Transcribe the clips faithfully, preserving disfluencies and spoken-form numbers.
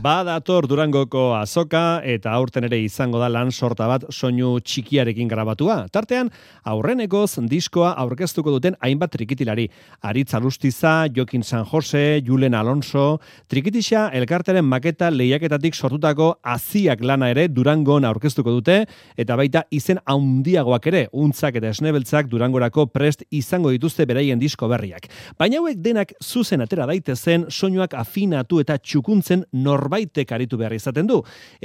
Badator Durangoko azoka eta aurten ere izango da lan sorta bat soinu txikiarekin grabatua. Tartean, aurrenekoz diskoa aurkeztuko duten hainbat trikitilari. Aritz Alustiza, Jokin San Jose, Julen Alonso, Trikitixa elkarteren maketa lehiaketatik sortutako aziak lana ere Durangon aurkeztuko dute, eta baita izen haundiagoak ere, untzak eta esnebeltzak Durangorako prest izango dituzte beraien disko berriak. Baina hauek denak zuzen atera daitezen, soinuak afinatu eta txukuntzen nor baitek aritu behar izaten du.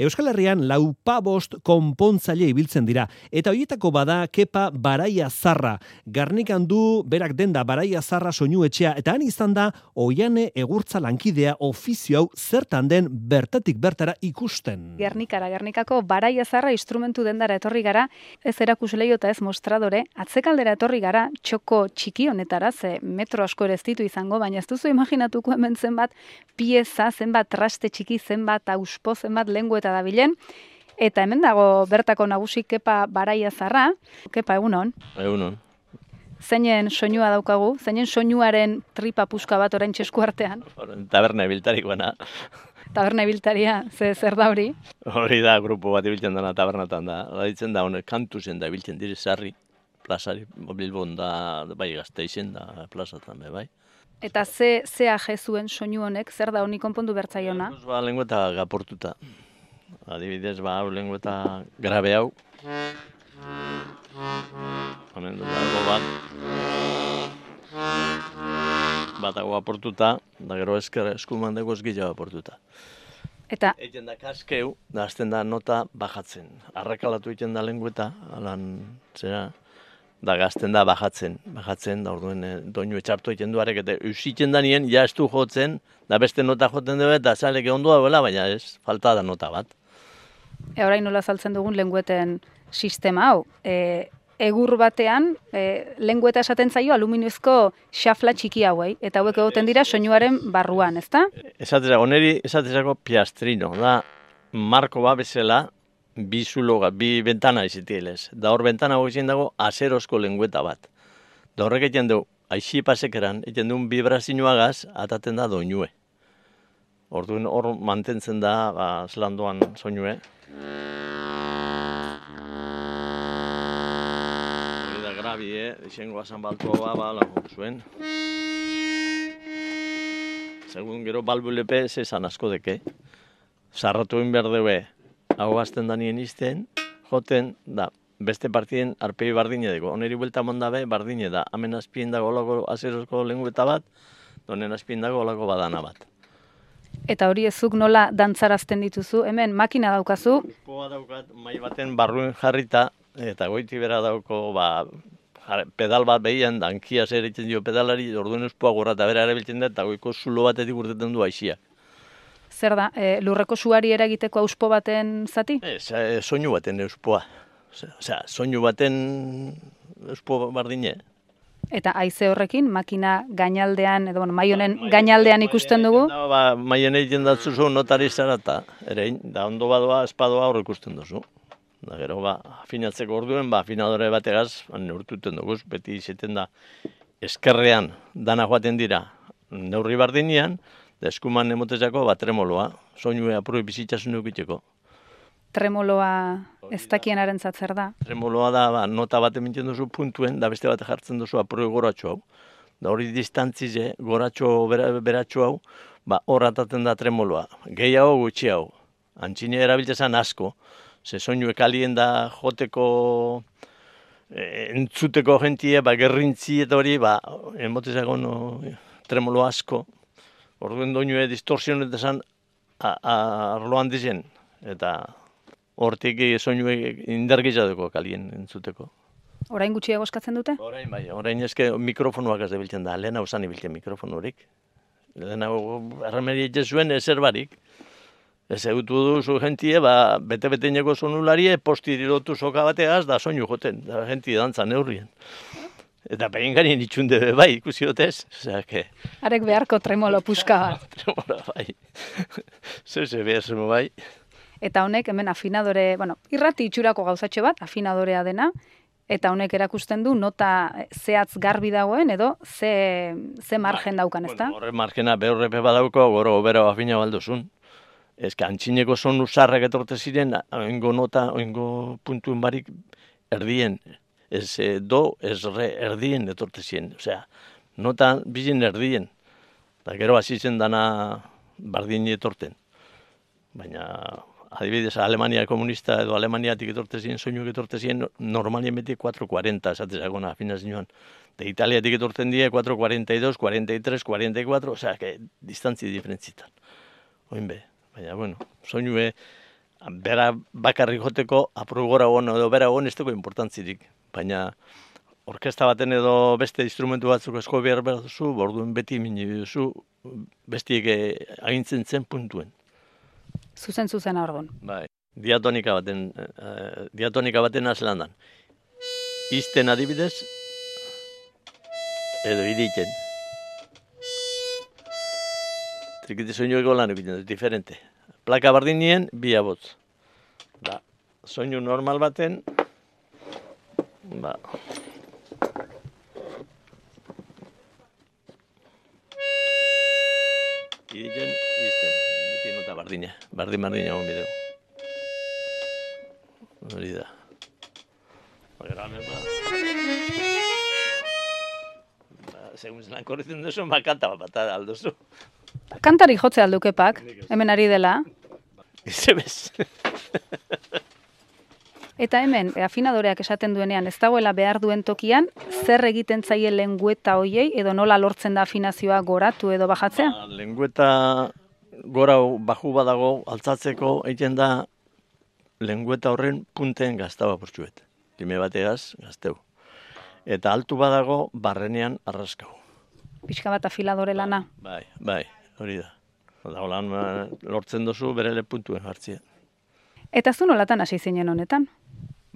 Euskal Herrian laupabost konpontzaile ibiltzen dira, eta horietako bada Kepa Baraia Zarra. Garnikan du berak denda Baraia Zarra soinu etxea, eta han izan da Oiane Egurtza lankidea ofizio hau zertan den bertatik bertara ikusten. Gernikara, Gernikako Baraia Zarra instrumentu dendara etorri gara, ez erakusleio eta ez mostradore, atzekaldera etorri gara txoko txiki honetara, ze metro asko ere ez ditu izango, baina ez duzu imaginatuko hemen zenbat pieza, zenbat traste txiki, zenbat auspo, zenbat lengua eta dabilen. Eta hemen dago bertako nagusi Kepa Baraia Zarra. Kepa, egunon. Egunon. Zeinen soinua daukagu? Zeinen soinuaren tripa puska bat orain txesku artean? Taberna ibiltarikoena. Taberna ibiltaria, ze zer da hori? Hori da, grupo bat ibiltzen dena tabernatan da. Ditzen da, honek kantu zen da ibiltzen dire sarri, plazari, Bilbon da, bai Gasteizen da, plazatan, bai. Eta ze, ze aje zuen soinu honek, zer da honi konpondu bertzaiona? Ba, lengüeta gaportuta. Adibidez, ba, hau lengüeta grabe hau. Honen dut dago bat. Bat hau aportuta, da gero esker eskuman dugu esgila aportuta. Eta? Egen da kaskeu, da azten da nota bajatzen. Arrakalatu egiten da lengüeta, alan, zera, da gazten da bajatzen, bajatzen, da orduen e, doinu etxartu egiten duarek, eta usitzen da nien, ja estu jotzen, da beste nota joten dugu, eta zaleke ondo dagoela, baina ez, falta da nota bat. E, orain nola saltzen dugun lengueten sistema hau. E, egur batean, e, lengueta esaten zaio aluminiozko xafla txiki hauei, eta hauek egoten dira soinuaren barruan, ezta? Esatera, oneri esatezako piastrino, da marko ba bezala, bi zuloga, bi bentana izitielez. Da hor bentana goizien dago azerozko lengueta bat. Da horrek egiten du, aixi pasekeran, egiten duen vibrazioagaz, ataten da doinue. Orduan hor mantentzen da, ba, zelandoan soinue. Hori da grabi, eh? Izango azan baltoa, ba, lagun zuen. Segun gero balbulepe, zezan asko deke. Zarratu egin behar dugu, hau azten danien izten, joten, da, beste partien arpei bardine dugu. Oneri buelta mondabe, bardine da. Hemen azpien dago olako azerozko lengueta bat, donen azpien dago olako badana bat. Eta hori ezuk nola dantzarazten dituzu? Hemen makina daukazu? Uspoa daukat, mai baten barruen jarrita, eta goiti bera dauko, ba, pedal bat behian, dankia zer egiten dio pedalari, orduen uspoa gorra eta bera erabiltzen da, eta goiko zulo batetik urteten du aixiak. Zer da, e, lurreko suari eragiteko auspo baten zati? Ez, e, soinu baten euspoa. Osea, soinu baten euspo bardine. Eta haize horrekin, makina gainaldean, edo bueno, mai honen gainaldean ikusten dugu? Da, ba, maien egiten datzuzu notari zara eta ere, da ondo badoa, espadoa hor ikusten duzu. Da gero, ba, afinatzeko orduen, ba, afinadore bategaz, neurtuten dugu, beti izaten da, eskerrean dana joaten dira, neurri bardinean, da eskuman emotezako, ba, tremoloa, soinue apurri bizitzasun dukiteko. Tremoloa ez dakienaren zatzer da? Tremoloa da, ba, nota bat emintzen duzu puntuen, da beste bat jartzen duzu apurri goratxo hau. Da hori distantzize, goratxo beratxo hau, ba, hor ataten da tremoloa. Gehiago gutxi hau. Antxine erabiltzezan asko, ze soinue kalien da joteko, e, entzuteko jentie, ba, gerrintzi eta hori, ba, emotezako no, tremolo asko. Orduen doinue distorsionetezan arloan dizen, eta hortik soinue indargitza duko kalien entzuteko. Orain gutxiago eskatzen dute? Orain bai, orain eske mikrofonuak ez debiltzen da, lehen hau zan ibiltzen mikrofonurik. Lehen hau erremeria zuen ezer barik. Ez egutu duzu jentie, ba, bete-beteineko sonularie, posti dirotu soka bateaz, da soinu joten, da jentie dantza neurrien. Eta behin ganien itxunde bai, ikusi dutez. Osea, que... Arek beharko tremolo puska bat. Tremolo bai. Zeze behar bai. Eta honek hemen afinadore, bueno, irrati itxurako gauzatxo bat, afinadorea dena, eta honek erakusten du nota zehatz garbi dagoen edo ze, ze margen daukan, ezta? Horre margena behorrepe badauko, goro obera afina balduzun. Ez que antxineko sonu zarrak etorte ziren, oingo nota, oingo puntuen barik erdien. Ez eh, do, ez re, erdien etorte ziren. Osea, nota bizin erdien. Eta gero hasi zen dana bardin etorten. Baina, adibidez, Alemania komunista edo Alemaniatik etorte ziren, soinuak etorte ziren, normalien beti cuatro cuarenta, esatezakona, finazioan. De Italiatik etorten die cuatro cuarenta y dos, cuarenta y tres, cuarenta y cuatro, osea, que distantzi diferentzitan. Oin be, baina, bueno, soinue, bera bakarrik joteko, aprugora hon edo bera hon ez dugu importantzirik. Baina, orkesta baten edo beste instrumentu batzuk esko behar behar duzu, borduen beti mini duzu, bestiek agintzen zen puntuen. Zuzen zuzen orduan. Bai, diatonika baten, uh, diatonika baten azlandan. Izten adibidez, edo iritzen. Trikiti soinueko lan egiten, diferente. Plaka bardinien, bi abotz. Da, soinu normal baten, ba, iritzen, izten, beti nota bardina, bardin-bardina egon bideu. Hori da. Bagera, ba, segun zelan korritzen duzu, ba, kanta bat alduzu. Kantari jotze aldukepak, hemen ari dela. Ize bez. Eta hemen, afinadoreak esaten duenean, ez dagoela behar duen tokian, zer egiten zaie lengueta hoiei, edo nola lortzen da afinazioa goratu edo bajatzea? Ba, lengueta gora baju badago, altzatzeko egiten da lengueta horren punten gaztaba portxuet. Lime bategaz, gazteu. Eta altu badago, barrenean arraskau. Pixka bat afiladore lana. Bai, bai, hori da. Oda, holan lortzen duzu berele puntuen hartzia. Eta zu nolatan hasi zinen honetan?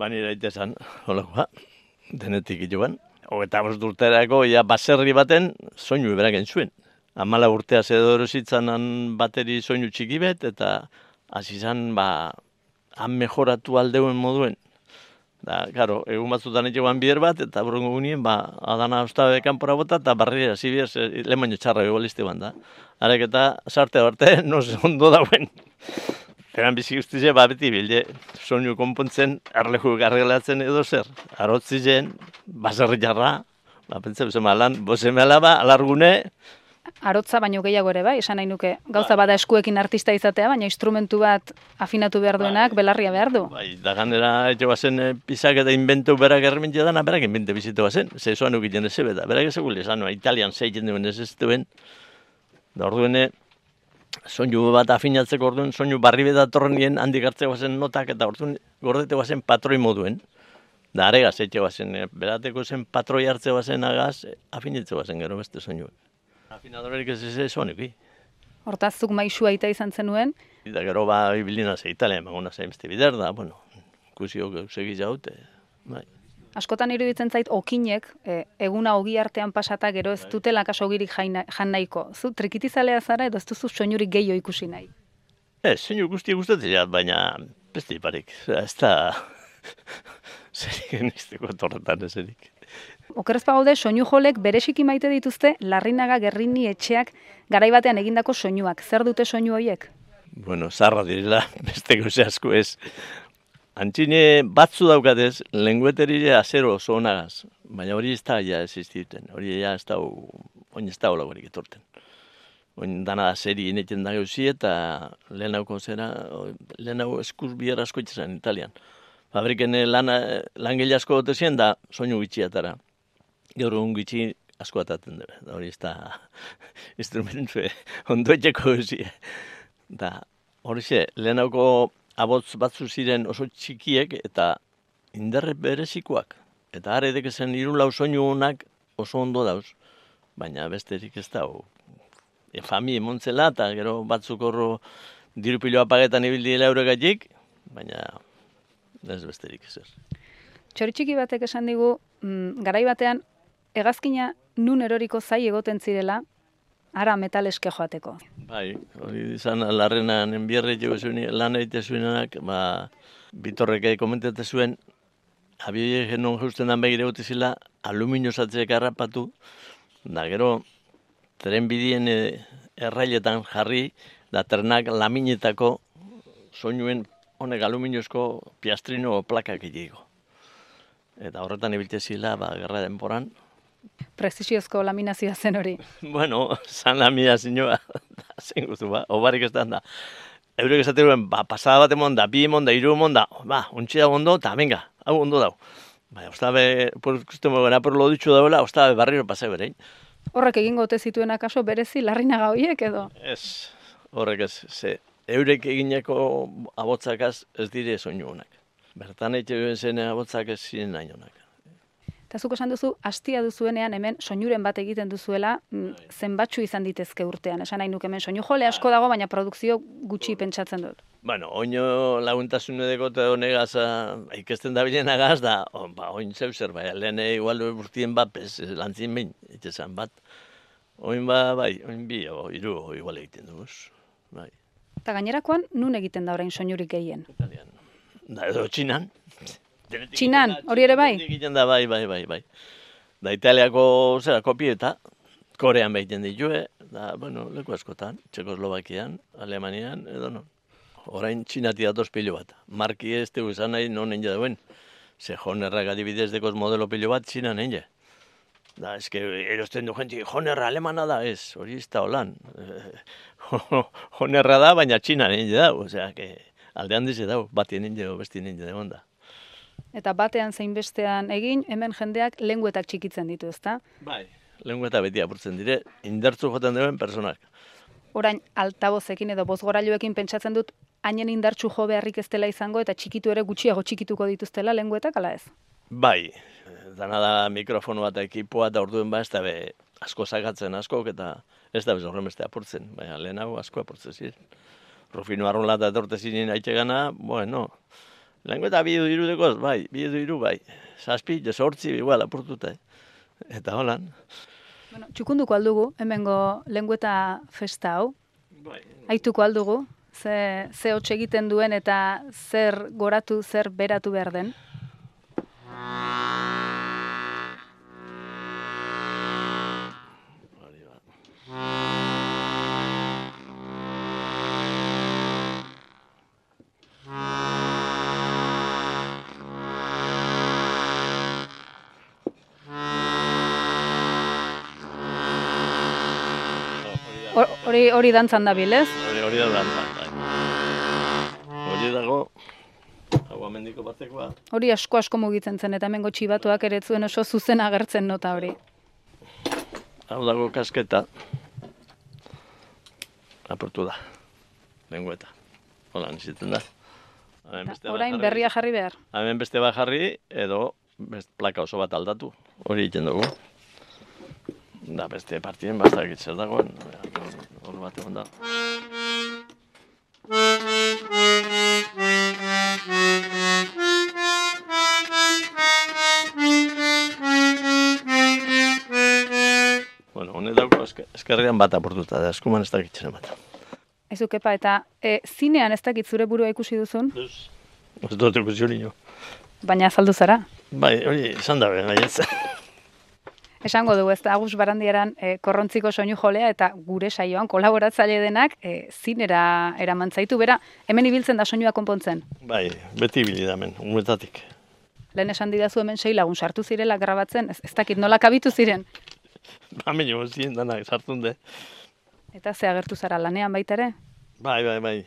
Bani daitezan, holakoa, denetik joan. Hogeta bost urterako, ja, baserri baten soinu beraken zuen. Hamala urtea zedoro zitzanan bateri soinu txiki bet, eta hasi zan, ba, han mejoratu aldeuen moduen. Da, karo, egun batzutan etxegoan bider bat, eta burungo gunien, ba, adana ustabe kanpora bota, eta barriera zibiaz, lehen baino txarra egolizte ban da. Harek eta sarte barte, no se ondo dauen. Eran bizi guztize, ba, beti bilde, soinu konpontzen, erleju garrelatzen edo zer. Arotzi zen, baserri jarra, ba, pentsa, bezema lan, bozeme alaba, alargune. Arotza baino gehiago ere bai, esan nahi nuke. Gauza bada eskuekin artista izatea, baina instrumentu bat afinatu behar duenak belarria behar du. Bai, da ganera etxe bazen pizak eta inventu berak errementia dana, berak invente bizitu bazen. Ze zoan ukiten ez zebeta, berak ez egule esan, italian zeitzen duen ez ez duen. Da orduene, soinu bat afinatzeko orduan, soinu barri betatorren nien handik hartzeko bazen notak, eta orduan gordete bazen patroi moduen. Da aregaz etxe bazen, berateko zen patroi hartze bazen agaz, afinetze bazen gero beste soinuek. Afinadorerik ez ez ez honek, Hortaz, zuk maisu aita izan zenuen. Eta gero ba, ibilina ze Italia, magona ze beste bider da, bueno, ikusiok segi jaute, bai. Askotan iruditzen zait, okinek, e, eguna ogi artean pasata gero ez dutela kaso ogirik jaina, jan nahiko. Zu trikitizalea zara edo ez duzu soinurik gehiago ikusi nahi? Ez, soinu guzti gustatzen jat, baina beste iparik, ez da zerik genizteko torretan ezerik. Okerrez bagaude, soinu jolek bereziki maite dituzte Larrinaga, Gerrini, Etxeak garaibatean egindako soinuak. Zer dute soinu horiek? Bueno, zarra direla, beste gauze asko ez. Antxine batzu daukatez, lengueterire azero oso onagaz, baina hori ez da ja existiten, hori ja ez da, oin ez da holagorik etorten. Oin dana seri ineten da gauzi eta lehenauko zera, lehenauko eskuz bihar asko itxesan Italian. Fabriken lan, langile asko dutezien da soinu gitxiatara. Gaur egun gitxi asko ataten dira, da hori ez da instrumentu ondo etxeko gauzi. Da hori ze, lehenauko abotz batzu ziren oso txikiek eta indarre berezikoak. Eta haredek ezen hiru lau soinu honak oso ondo dauz, baina besterik ez da. E, fami emontzela eta gero batzuk horro dirupiloa pagetan ibildiela euregatik, baina ez besterik ezer. Txori txiki batek esan digu, mm, garai batean, hegazkina nun eroriko zai egoten zirela, ara metaleske joateko. Bai, hori izan Larrenan enbierre jo zuen lan egite zuenak, ba, Bitorrek komentate zuen, abioie genon justen dan begire gute zila, aluminio zatzeak harrapatu, da gero, tren bidien errailetan jarri, da ternak laminetako soinuen honek aluminiozko piastrino plakak egiko. Eta horretan ibiltze zila, ba, gerra denporan. Preziziozko laminazioa zen hori. Bueno, zan laminazioa, zen guztu, ba, obarik ez da. Eurek esaten ba, pasada bat emon da, bi emon da, iru emon da, ba, ontsi da ondo, eta venga, hau ondo dau. Ba, ostabe, ikusten mogena, por lo ditxu dauela, ostabe barriro pase berein. Horrek egingo ote zituen akaso berezi larrinaga horiek edo? Ez, horrek ez, ze, eurek egineko abotzakaz ez dire soinu honak. Bertan egiten zen abotzak ez ziren nahi honak. Eta zuk esan duzu, hastia duzuenean hemen soinuren bat egiten duzuela, zenbatxu izan ditezke urtean. Esan nahi nuke hemen soinu jole asko dago, baina produkzio gutxi pentsatzen dut. Bueno, oino laguntasun edeko eta honegaz ikesten da bilen agaz da, on, ba, oin zeu zer, bai, lehen igual urtien bat, pez, lantzien behin, itxesan bat. Oin ba, bai, oin bi, o, iru, o, igual egiten duguz, bai. Eta gainerakoan, nun egiten da orain soinurik gehien? Italian. Da, edo txinan. Txinan, hori ere bai? Egiten da, bai, bai, bai, bai. Da, Italiako, zera, kopieta, Korean behiten ditue, da, bueno, leku askotan, Txekoslovakian, Alemanian, edo no. Orain txinati datoz pilo bat. Marki ez dugu izan nahi non nien dauen. Ze jonerrak adibidez dekoz modelo pilo bat txina nien. Da, eske, erosten du jenti, jonerra alemana da, ez, hori ez da holan. Jonerra da, baina txina nien dau, osea, que aldean dize dau, batien nien dau, besti nien dau da. Eta batean zein bestean egin, hemen jendeak lenguetak txikitzen ditu, ezta? Bai, lengueta beti apurtzen dire, indartzu joten duen personak. Orain, altabozekin edo bozgorailuekin pentsatzen dut, hainen indartsu jo beharrik ez dela izango eta txikitu ere gutxiago txikituko dituztela lenguetak, ala ez? Bai, dana da mikrofono bat ekipoa eta orduen ba ez da be asko sakatzen askok eta ez da bez horren beste apurtzen, baina lehenago asko apurtzen ziren. Rufino Arrola eta etorte ziren haitxe gana, bueno, lengueta bi edo irudekoz, bai, bi edo iru, bai, zazpi, sortzi, igual apurtuta, eh? Eta holan. Bueno, txukunduko aldugu, hemengo lengueta festa hau. Bai. Aituko aldugu, ze, ze hotx egiten duen eta zer goratu, zer beratu behar den. Hori hori dantzan dabil, ez? Hori hori da dantzan, bai. Hori dago, hau amendiko batekoa. Hori asko asko mugitzen zen, eta hemengo txibatuak ere zuen oso zuzen agertzen nota hori. Hau dago kasketa. Aportu da, lengueta. Hola, nizitzen da. Orain berria jarri behar. Hemen beste bat jarri, edo best, plaka oso bat aldatu. Hori egiten dugu. Da, beste partien bastak itzer dagoen. Hor bat egon da. Bueno, honek dauko eskerrean bat aportuta, da eskuman ez dakitzen bat. Aizu, kepa, eta e, zinean ez dakit zure burua ikusi duzun? Ez dut ikusi hori nio. Baina azaldu zara? Bai, hori, izan dabe, gaietza. Esango dugu, ez da, Agus Barandiaran e, korrontziko soinu jolea eta gure saioan kolaboratzaile denak e, zinera eraman zaitu, bera, hemen ibiltzen da soinua konpontzen. Bai, beti ibili da hemen, umetatik. Lehen esan didazu hemen sei lagun sartu zirela grabatzen, ez, ez dakit nola kabitu ziren. Ba, menio ziren danak sartun de. Eta ze agertu zara lanean baita ere? Bai, bai, bai.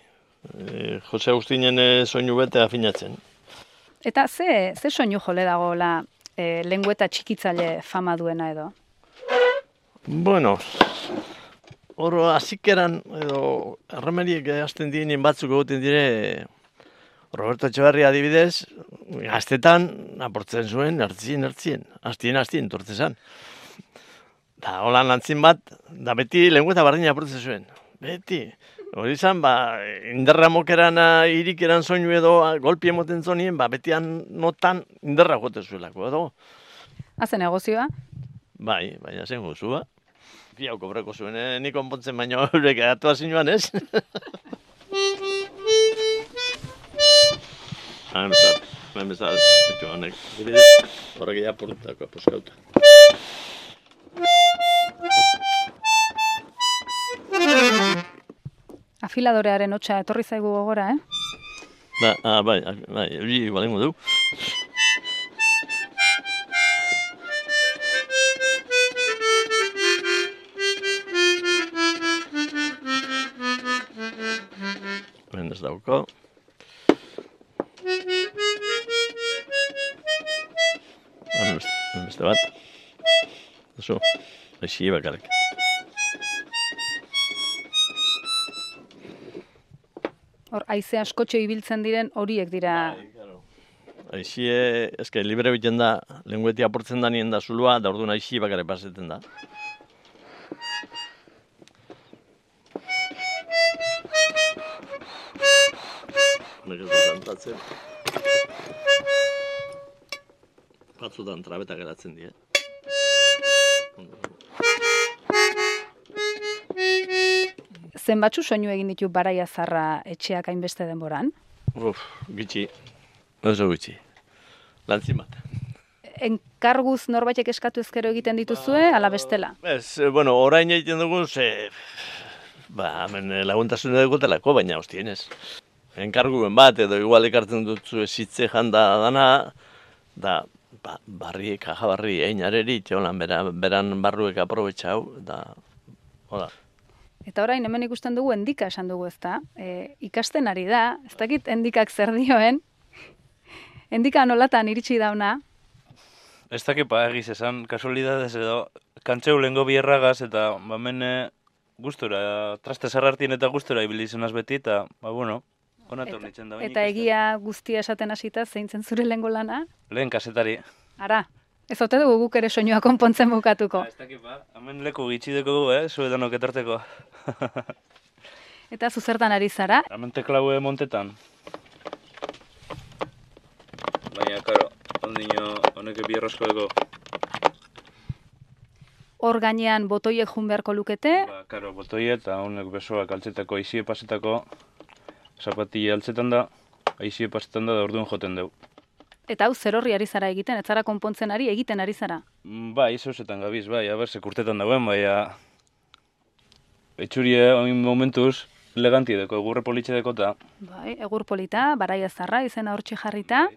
E, Jose Agustinen e, soinu bete afinatzen. Eta ze, ze soinu jole dagoela e, lengueta txikitzaile fama duena edo? Bueno, oro azikeran edo erremeriek hasten dienen batzuk egoten dire Roberto Etxeberria adibidez, gaztetan aportzen zuen, hartzien, hartzien, hastien, hastien, tortzezan. Da, holan lantzin bat, da beti lengueta bardina aportzen zuen. Beti. Hori izan, ba, inderra mokeran, irikeran soinu edo, golpi emoten zonien, ba, betian notan inderra jote zuelako, edo. Hazen negozioa? Bai, baina zen gozua. Piau kobreko zuen, eh? Nik onpontzen baino eurek atua zinuan, ez? Hain bezal, hain bezal, etxo honek. Horrek ea portako, poskauta. afiladorearen hotsa etorri zaigu gogora, eh? Ba, ah, bai, bai, hori balengo du. Hemen ez dauko. Hemen beste bat. Oso, així bakarrik. Hor, haize askotxo ibiltzen diren horiek dira. Aixie, eske, libre biten da, lengueti aportzen da nien da zulua, da orduan aixi bakarrik paseten da. Nek ez dut antatzen. Batzutan trabeta geratzen die. Zenbatzu soinu egin ditu Baraia Zarra etxeak hainbeste denboran? Uf, gitxi. Oso gitxi. Lantzin bat. Enkarguz norbaitek eskatu ezkero egiten dituzue, ala bestela? Ez, bueno, orain egiten dugu, ze... Ba, hemen laguntasuna dugutelako, baina hostienez. Enkarguen bat, edo igual ekartzen dutzu esitze janda dana, da, ba, barri, kaja barri, einareri, txolan, beran, beran barruek aprobetxau, da, hola. Eta orain hemen ikusten dugu endika esan dugu, ezta? E, ikasten ari da, ez dakit endikak zer dioen, endika nolatan iritsi dauna. Ez dakit pa egiz esan, kasualidadez edo, kantzeu lehengo bierragaz eta hemen gustura, traste zarrartien eta gustura ibili zenaz beti, eta, ba, bueno, onator nitzen da. Eta egia guztia esaten hasita zeintzen zure lehengo lana? Lehen kasetari. Ara, ez ote dugu guk ere soinua konpontzen bukatuko. Ez dakit pa, hemen leku gitxideko gu, eh, zuedanok etarteko. Eta zuzertan ari zara? Hemen teklaue montetan. Baina, karo, ondino honek bierrasko dugu. Hor gainean botoiek jun beharko lukete? Ba, karo, botoie eta honek besoak altzetako, aizie pasetako, zapatilla altzetan da, aizie pasetan da, da orduan joten dugu. Eta hau zer horri ari zara egiten, ez zara konpontzen ari, egiten ari zara? Bai, zauzetan gabiz, bai, haber, sekurtetan dauen, bai, etxurie, oin momentuz, eleganti deko, egurre politxe deko eta. Bai, egur polita, Baraia Zarra, izena hortxe jarrita,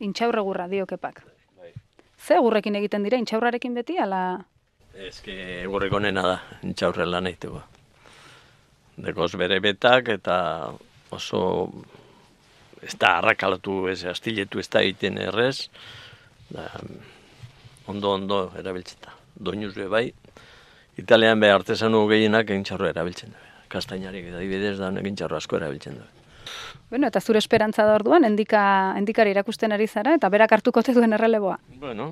intxaur egurra diokepak. Bai. Ze egurrekin egiten dira, intxaurrarekin beti, ala... Ez que egurreko nena da, intxaurren lan egiteko. Dekoz bere betak eta oso... Ez da arrakalatu, ez astiletu ez da egiten errez. Da, ondo ondo erabiltzeta. Doinuz be bai. Italian be artesanu gehienak egintxarroa erabiltzen du. Kastainarik eta dibidez da egintxarro asko erabiltzen du. Bueno, eta zure esperantza da orduan, endika, endikari erakusten ari zara, eta berak hartuko te duen erreleboa. Bueno,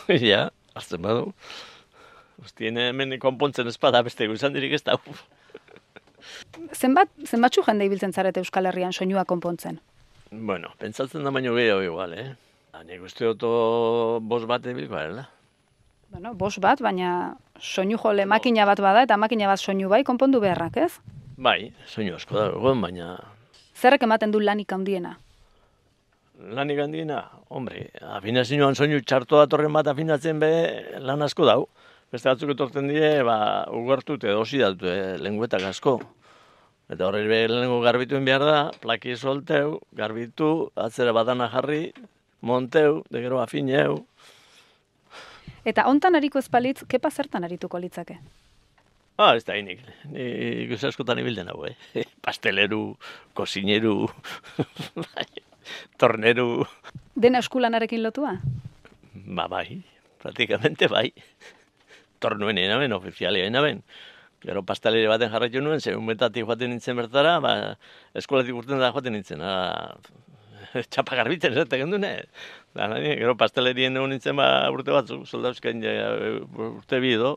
ja, hartzen badu. Ostien hemen konpontzen espada beste guzan dirik ez da. Zenbat, zenbatxu jende ibiltzen zarete Euskal Herrian soinua konpontzen? Bueno, pentsatzen da baino gehiago igual, eh? Nik uste oto bos bat ebilko garela. Bueno, bos bat, baina soinu jole makina bat bada, eta makina bat soinu bai konpondu beharrak, ez? Bai, soinu asko da egon, baina... Zerrek ematen du lanik handiena? Lanik handiena? Hombre, afinazioan soinu txarto datorren bat afinatzen be lan asko dau. Beste batzuk etortzen die, ba, ugartu eta dosi datu, eh, lenguetak asko. Eta horre be lehenengo garbituen behar da, plaki solteu, garbitu, atzera badana jarri, monteu, de gero afineu. Eta hontan ariko ezpalitz, kepa zertan arituko litzake? Ah, ez da hinik. Nik uste askotan ibilden hau, eh? Pasteleru, kosineru, torneru... Dena eskulanarekin lotua? Ba, bai, praktikamente bai. Tornuen enaben, ofizialia enaben. Gero pastelere baten jarraitu nuen, zeun betatik joaten nintzen bertara, ba, eskolatik urten da joaten nintzen. Ah, txapa garbiten, ez da gendune. Gero pastelerien egon nintzen ba, urte batzuk, soldauzkain urte bi edo.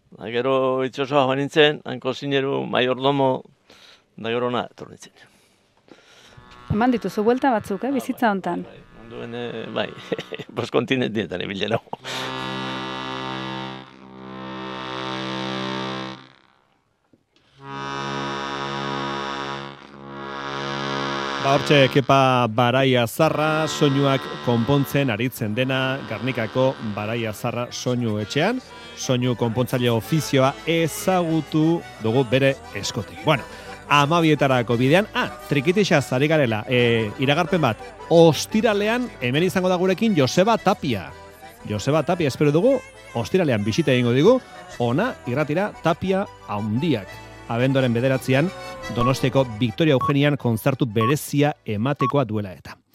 Da, gero itxosoa joan nintzen, hanko zineru, maiordomo, da gero na, etor nintzen. Eman dituzu buelta batzuk, eh, bizitza hontan. Bai, onduen, bai, bos kontinentietan ebilen hau. Ba, hortxe, Kepa Baraia Zarra soinuak konpontzen aritzen dena Gernikako Baraia Zarra soinu etxean, soinu konpontzaile ofizioa ezagutu dugu bere eskotik. Bueno, amabietarako bidean. Ah, trikitixa zari garela, e, iragarpen bat, ostiralean hemen izango da gurekin Joseba Tapia. Joseba Tapia espero dugu, ostiralean bisita egingo digu, ona irratira Tapia haundiak. Abenduaren bederatzean, Donostiako Victoria Eugenian kontzertu berezia ematekoa duela eta.